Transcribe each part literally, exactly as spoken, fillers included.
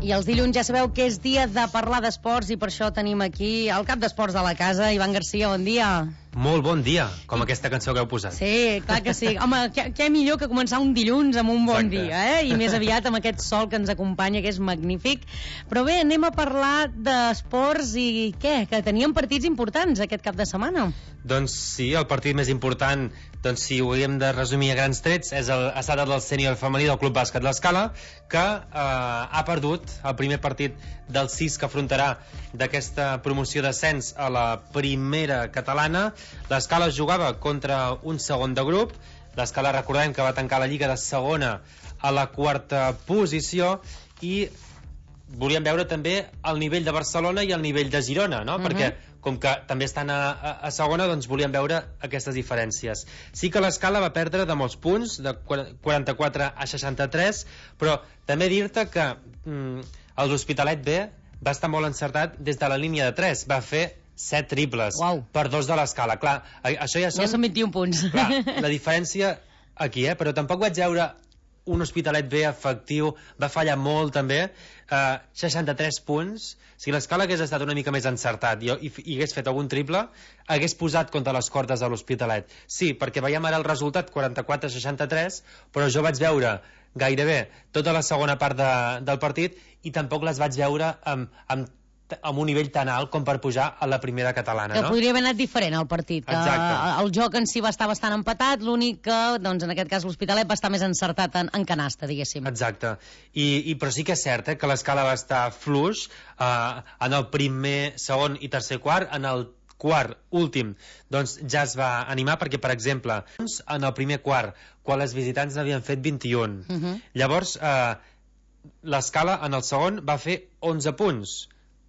I els dilluns ja sabeu que és dia de parlar d'esports i per això tenim aquí el cap d'esports de la casa, Ivan Garcia, bon dia. Molt bon dia, com aquesta cançó que heu posat. Sí, clar que sí. Home, què, què millor que començar un dilluns amb un bon Exacte. dia, eh? I més aviat amb aquest sol que ens acompanya, que és magnífic. Però bé, anem a parlar d'esports i què? Que teníem partits importants aquest cap de setmana. Doncs sí, el partit més important, doncs si ho haguem de resumir a grans trets, és el, ha estat el del sènior femení del Club Bàsquet L'Escala, que eh, ha perdut el primer partit del sis que afrontarà d'aquesta promoció d'ascens a la primera catalana. L'Escala jugava contra un segon de grup. L'Escala, recordem que va tancar la lliga de segona a la quarta posició, i volíem veure també el nivell de Barcelona i el nivell de Girona, no? Uh-huh. Perquè com que també estan a, a, a segona, doncs volíem veure aquestes diferències. Sí que l'Escala va perdre de molts punts, de quaranta-quatre a seixanta-tres, però també dir-te que mm, l'Hospitalet B va estar molt encertat des de la línia de tres, va fer set triples. Uau. Per dos de l'Escala. Clar, això ja són... Ja són vint-i-un punts. Clar, la diferència aquí, eh? Però tampoc vaig veure un Hospitalet B efectiu, va fallar molt també, uh, seixanta-tres punts. Si l'Escala hagués estat una mica més encertat i, i, i hagués fet algun triple, hagués posat contra les cordes de l'Hospitalet. Sí, perquè veiem ara el resultat quaranta-quatre a seixanta-tres, però jo vaig veure gairebé tota la segona part de, del partit i tampoc les vaig veure amb, amb amb un nivell tan alt com per pujar a la primera catalana, que no? podria haver anat diferent el partit, que Exacte. el joc en si va estar bastant empatat, l'únic que, doncs en aquest cas l'Hospitalet va estar més encertat en, en canasta, diguéssim. Exacte, I, i però sí que és cert eh, que l'Escala va estar fluix eh, en el primer, segon i tercer quart. En el quart, últim, doncs ja es va animar, perquè per exemple en el primer quart, quan les visitants n'havien fet vint-i-un, uh-huh. Llavors eh, l'Escala en el segon va fer onze punts.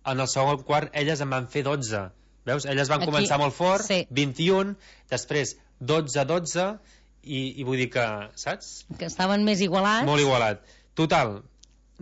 En el segon quart elles en van fer dotze. Veus? Elles van Aquí, començar molt fort, sí. vint-i-un, després dotze a dotze, i, i vull dir que, saps? Que estaven més igualats. Molt igualat. Total,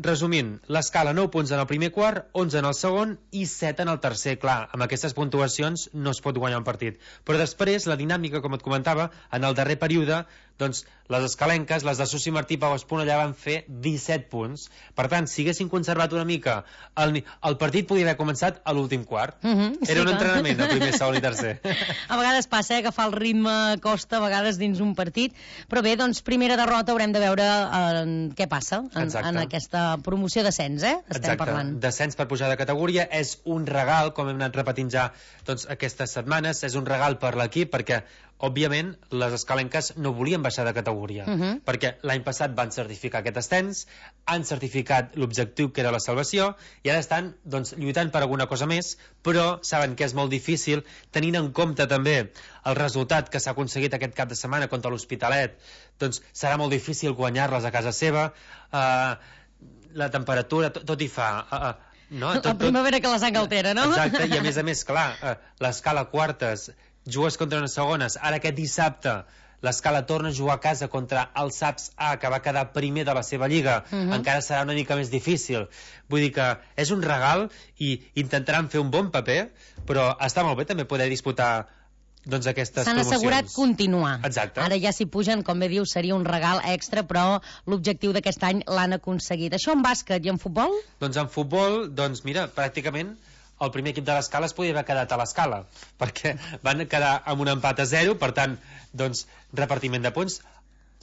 resumint, l'Escala nou punts en el primer quart, onze en el segon i set en el tercer. Clar, amb aquestes puntuacions no es pot guanyar un partit. Però després, la dinàmica, com et comentava, en el darrer període, doncs les escalenques, les de Susi Martí i Pau Esponellà van fer disset punts. Per tant, si haguessin conservat una mica el, el partit podia haver començat a l'últim quart. Uh -huh, Era sí, un clar. entrenament el primer, segon i tercer. A vegades passa, eh, agafar el ritme costa a vegades dins un partit, però bé, doncs primera derrota, haurem de veure eh, què passa en, en aquesta promoció d'ascens, eh? Estem Exacte. parlant. Descens per pujar de categoria és un regal, com hem anat repetint ja doncs, aquestes setmanes, és un regal per l'equip, perquè òbviament les escalenques no volien baixar de categoria, uh -huh. perquè l'any passat van certificar aquest ascens, han certificat l'objectiu que era la salvació, i ara estan doncs, lluitant per alguna cosa més, però saben que és molt difícil, tenint en compte també el resultat que s'ha aconseguit aquest cap de setmana contra l'Hospitalet. Doncs serà molt difícil guanyar-les a casa seva. uh, la temperatura, tot, tot hi fa uh, uh, no? tot, la primavera que la sang altera, no? Exacte, i a més a més, clar, uh, l'Escala quartes, jugues contra unes segones. Ara aquest dissabte l'Escala torna a jugar a casa contra el Saps A, que va quedar primer de la seva lliga. Uh -huh. Encara serà una mica més difícil. Vull dir que és un regal i intentaran fer un bon paper, però està molt bé també poder disputar doncs aquestes S'han promocions. assegurat continuar. Exacte. Ara ja si pugen, com bé dius, seria un regal extra, però l'objectiu d'aquest any l'han aconseguit. Això en bàsquet i en futbol? Doncs en futbol, doncs mira, pràcticament el primer equip de l'Escala es podia haver quedat a l'Escala, perquè van quedar amb un empat a zero, per tant, doncs, repartiment de punts.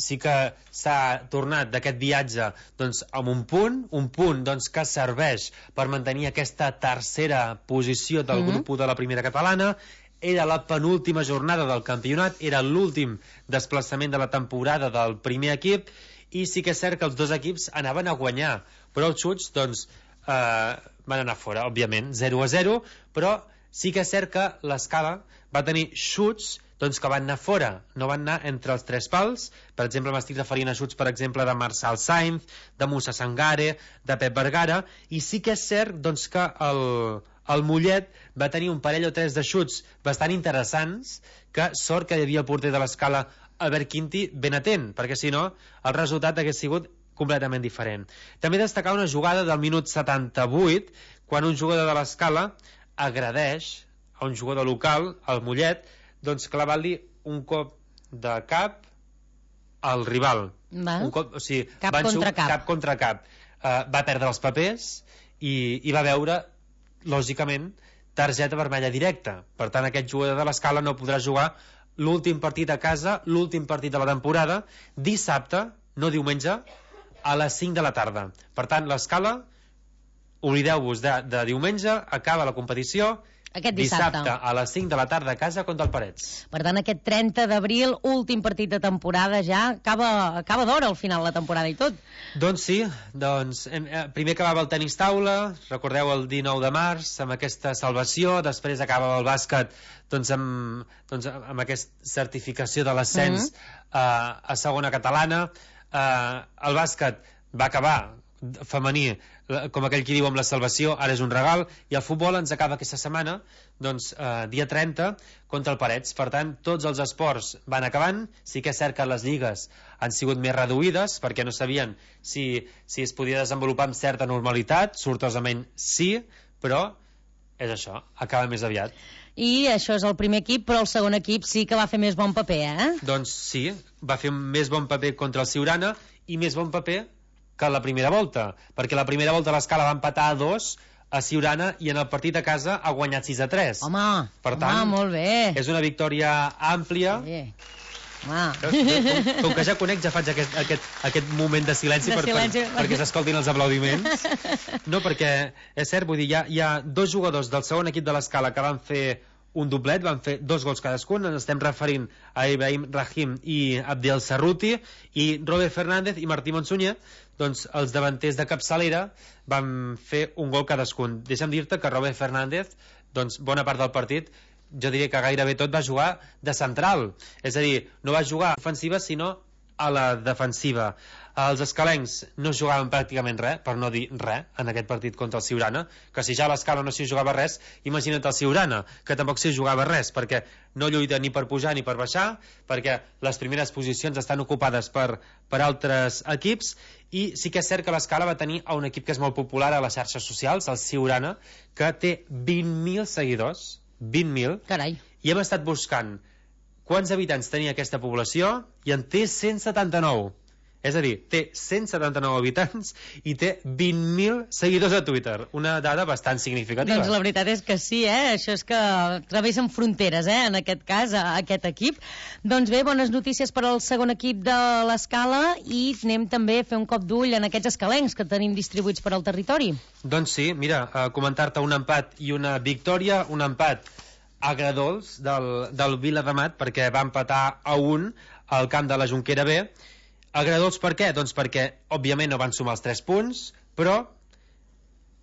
Sí que s'ha tornat d'aquest viatge doncs, amb un punt, un punt doncs, que serveix per mantenir aquesta tercera posició del mm-hmm. grup u de la primera catalana. Era la penúltima jornada del campionat, era l'últim desplaçament de la temporada del primer equip, i sí que és cert que els dos equips anaven a guanyar, però els xuts, doncs, eh, van anar fora, òbviament, zero a zero, però sí que és cert que l'Escala va tenir xuts doncs, que van anar fora, no van anar entre els tres pals. Per exemple, m'estic referint a xuts, per exemple, de Marçal Sainz, de Musa Sangare, de Pep Vergara, i sí que és cert doncs, que el, el Mollet va tenir un parell o tres de xuts bastant interessants, que sort que hi havia el porter de l'Escala, Albert Quinti, ben atent, perquè si no el resultat hagués sigut completament diferent. També destacar una jugada del minut setanta-vuit, quan un jugador de l'Escala agredeix a un jugador local, el Mollet, doncs clavant-li un cop de cap al rival. Val. Un cop, o sigui, cap van contra cap. cap. Cap contra cap. eh, va perdre els papers i, i va veure, lògicament, targeta vermella directa. Per tant, aquest jugador de l'Escala no podrà jugar l'últim partit a casa, l'últim partit de la temporada, dissabte, no diumenge, a les cinc de la tarda. Per tant, l'Escala, oblideu-vos de, de diumenge, acaba la competició aquest dissabte. dissabte a les cinc de la tarda a casa contra el Parets. Per tant, aquest trenta d'abril, últim partit de temporada ja, acaba, acaba d'hora al final la temporada i tot. Doncs sí, doncs, hem, eh, primer acabava el tenis taula, recordeu el dinou de març, amb aquesta salvació, després acabava el bàsquet doncs amb, doncs, amb aquesta certificació de l'ascens mm-hmm. eh, a segona catalana. Eh, el bàsquet va acabar femení, com aquell qui diu amb la salvació, ara és un regal, i el futbol ens acaba aquesta setmana, doncs, eh, dia trenta, contra el Parets. Per tant, tots els esports van acabant. Sí que és cert que les lligues han sigut més reduïdes, perquè no sabien si, si es podia desenvolupar amb certa normalitat, sortosament sí, però és això, acaba més aviat. I això és el primer equip, però el segon equip sí que va fer més bon paper, eh? Doncs sí, va fer més bon paper contra el Siurana i més bon paper que la primera volta, perquè la primera volta l'Escala va empatar a dos a Siurana i en el partit a casa ha guanyat sis a tres. Home, per tant, home, molt bé. És una victòria àmplia. Sí. Ah. Com, com que ja conec, ja faig aquest, aquest, aquest moment de silenci, de per, silenci. Per, perquè s'escoltin els aplaudiments. No, perquè és cert, vull dir, hi ha, hi ha dos jugadors del segon equip de l'Escala que van fer un doblet, van fer dos gols cadascun. Ens estem referint a Ibrahim Rahim i Abdel Sarruti, i Robert Fernández i Martí Monsunyer, doncs els davanters de capçalera van fer un gol cadascun. Deixa'm dir-te que Robert Fernández, doncs bona part del partit, jo diria que gairebé tot va jugar de central, és a dir, no va jugar a ofensiva sinó a la defensiva. Els escalencs no jugaven pràcticament res, per no dir res, en aquest partit contra el Siurana, que si ja a l'Escala no s'hi jugava res, imagina't el Siurana, que tampoc s'hi jugava res, perquè no lluita ni per pujar ni per baixar, perquè les primeres posicions estan ocupades per, per altres equips, i sí que és cert que l'Escala va tenir un equip que és molt popular a les xarxes socials, el Siurana, que té vint mil seguidors, vint mil, Carai. I hem estat buscant quants habitants tenia aquesta població i en té cent setanta-nou. És a dir, té cent setanta-nou habitants i té vint mil seguidors a Twitter. Una dada bastant significativa. Doncs la veritat és que sí, eh? Això és que travessen fronteres, eh? En aquest cas, aquest equip. Doncs bé, bones notícies per al segon equip de l'Escala i anem també a fer un cop d'ull en aquests escalencs que tenim distribuïts per al territori. Doncs sí, mira, a comentar-te un empat i una victòria, un empat agradols del, del Viladamat, perquè va empatar a un al camp de la Jonquera B. Agradols per què? Doncs perquè, òbviament, no van sumar els tres punts, però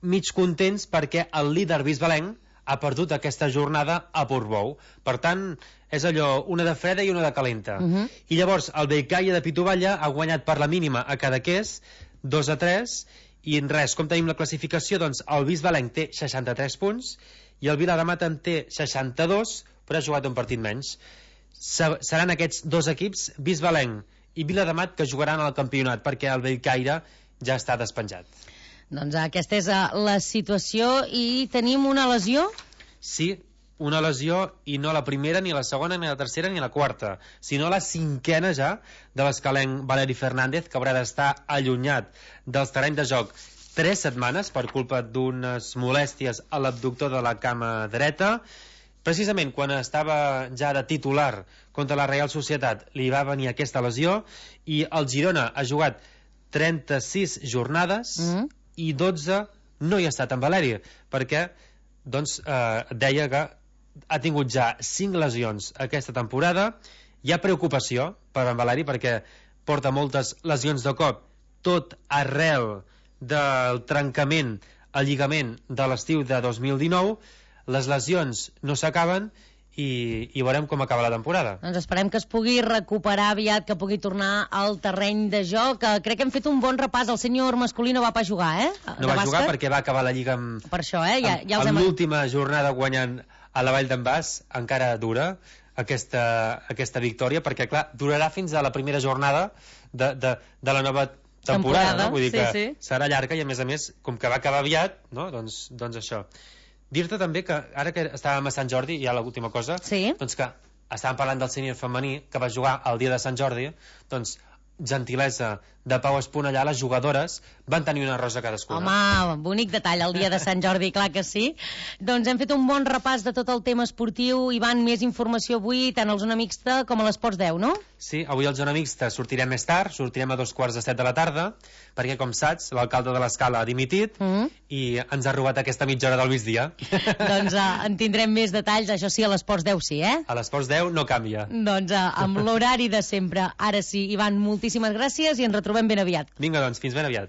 mig contents perquè el líder bisbalenc ha perdut aquesta jornada a Portbou. Per tant, és allò, una de freda i una de calenta. Uh-huh. I llavors, el Bellcaia de Pituvalla ha guanyat per la mínima a Cadaqués, dos a tres, i en res, com tenim la classificació? Doncs el bisbalenc té seixanta-tres punts, i el Viladamat en té seixanta-dos, però ha jugat un partit menys. Seran aquests dos equips, bisbalenc i Viladamat, que jugaran al campionat, perquè el Bellcaire ja està despenjat. Doncs aquesta és la situació. I tenim una lesió? Sí, una lesió, i no la primera, ni la segona, ni la tercera, ni la quarta, sinó la cinquena ja de l'escalenc Valeri Fernández, que haurà d'estar allunyat dels terrenys de joc tres setmanes per culpa d'unes molèsties a l'abductor de la cama dreta. Precisament quan estava ja de titular contra la Reial Societat li va venir aquesta lesió, i el Girona ha jugat trenta-sis jornades mm. i dotze no hi ha estat en Valeri, perquè doncs, eh, deia que ha tingut ja cinc lesions aquesta temporada. Hi ha preocupació per en Valeri perquè porta moltes lesions de cop, tot arrel del trencament al lligament de l'estiu de dos mil dinou. Les lesions no s'acaben i, i veurem com acaba la temporada. Doncs esperem que es pugui recuperar aviat, que pugui tornar al terreny de joc. Crec que hem fet un bon repàs. El senyor masculí no va pas jugar, eh? No va bàsquet. Jugar perquè va acabar la Lliga amb, per això, eh? Ja, ja amb, amb hem... l'última jornada guanyant a la Vall d'en Bas. Encara dura aquesta, aquesta victòria, perquè clar, durarà fins a la primera jornada de, de, de la nova temporada, temporada, no? Vull dir sí, que sí. Serà llarga i a més a més, com que va acabar aviat, no? doncs, doncs això. Dir-te també que ara que estàvem a Sant Jordi, hi ha l'última cosa, sí. doncs que estàvem parlant del sènior femení que va jugar el dia de Sant Jordi, doncs gentilesa de Pau Esponellà, les jugadores van tenir una rosa cadascuna. Home, bonic detall, el dia de Sant Jordi, clar que sí. Doncs hem fet un bon repàs de tot el tema esportiu. Ivan, més informació avui, tant al Zona Mixta com a l'Esports deu, no? Sí, avui al Zona Mixta sortirem més tard, sortirem a dos quarts de set de la tarda, perquè, com saps, l'alcalde de l'Escala ha dimitit mm -hmm. i ens ha robat aquesta mitja hora del migdia. Doncs uh, en tindrem més detalls, això sí, a l'Esports deu sí, eh? A l'Esports deu no canvia. Doncs uh, amb l'horari de sempre. Ara sí, Ivan, moltíssimes gràcies i ens retrobem ben aviat. Vinga, doncs, fins ben aviat.